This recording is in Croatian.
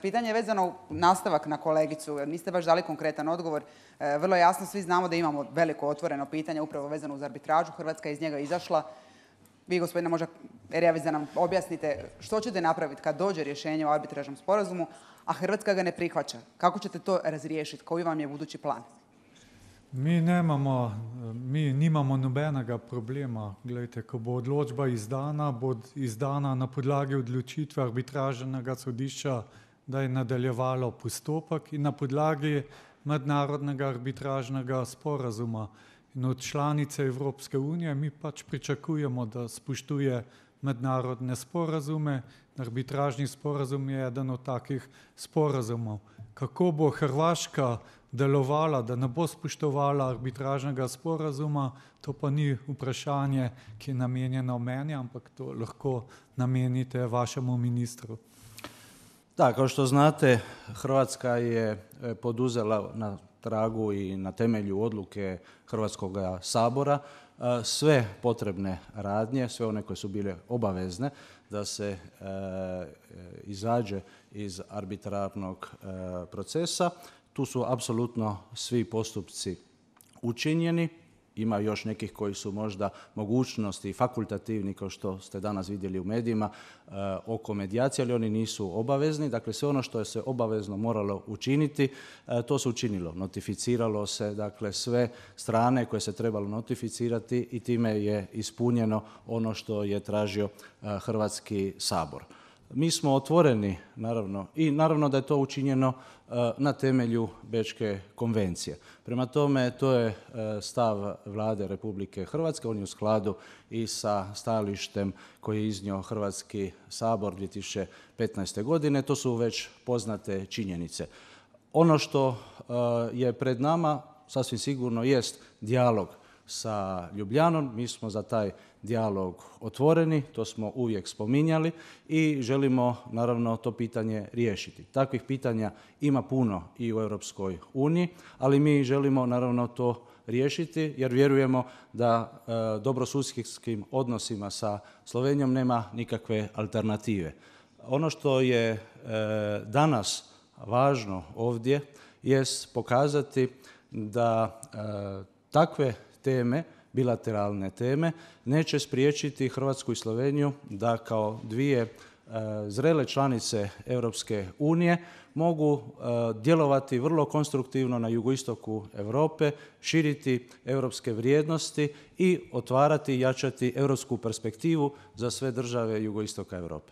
Pitanje je vezano u nastavak na kolegicu, jer niste baš dali konkretan odgovor. Vrlo jasno svi znamo da imamo veliko otvoreno pitanje upravo vezano uz arbitražu. Hrvatska je iz njega izašla. Vi, gospodine, možda Erjavić, da nam objasnite što ćete napraviti kad dođe rješenje o arbitražnom sporazumu, a Hrvatska ga ne prihvaća. Kako ćete to razriješiti? Koji vam je budući plan? Mi nimamo nobenega problema. Glejte, ko bo odločba izdana, bo izdana na podlagi odločitve arbitražnega sodišča, da je nadaljevalo postopek in na podlagi mednarodnega arbitražnega sporazuma. In od članice Evropske unije mi pač pričakujemo, da spoštuje mednarodne sporazume. Arbitražni sporazum je eden od takih sporazumov. Kako bo Hrvaška delovala, da ne bo spoštovala arbitražnega sporazuma, to pa ni vprašanje, ki je namenjeno meni, ampak to lahko namenite vašemu ministru. Da, kao što znate, Hrvatska je poduzela na tragu i na temelju odluke Hrvatskog sabora sve potrebne radnje, sve one koje su bile obavezne da se izađe iz arbitrarnog procesa. Tu su apsolutno svi postupci učinjeni. Ima još nekih koji su možda mogućnosti fakultativni, kao što ste danas vidjeli u medijima, oko medijacije, ali oni nisu obavezni. Dakle, sve ono što je se obavezno moralo učiniti, to se učinilo. Notificiralo se, dakle, sve strane koje se trebalo notificirati i time je ispunjeno ono što je tražio Hrvatski sabor. Mi smo otvoreni, naravno, i naravno da je to učinjeno na temelju Bečke konvencije. Prema tome, to je stav Vlade Republike Hrvatske, on je u skladu i sa stajalištem koji je iznio Hrvatski sabor 2015. godine, to su već poznate činjenice. Ono što je pred nama, sasvim sigurno, jest dijalog sa Ljubljanom. Mi smo za taj dijalog otvoreni, to smo uvijek spominjali i želimo naravno to pitanje riješiti. Takvih pitanja ima puno i u Europskoj uniji, ali mi želimo naravno to riješiti jer vjerujemo da dobrosusjedskim odnosima sa Slovenijom nema nikakve alternative. Ono što je danas važno ovdje jest pokazati da takve teme, bilateralne teme, neće spriječiti Hrvatsku i Sloveniju da kao dvije zrele članice Europske unije mogu djelovati vrlo konstruktivno na jugoistoku Europe, širiti europske vrijednosti i otvarati i jačati europsku perspektivu za sve države jugoistoka Europe.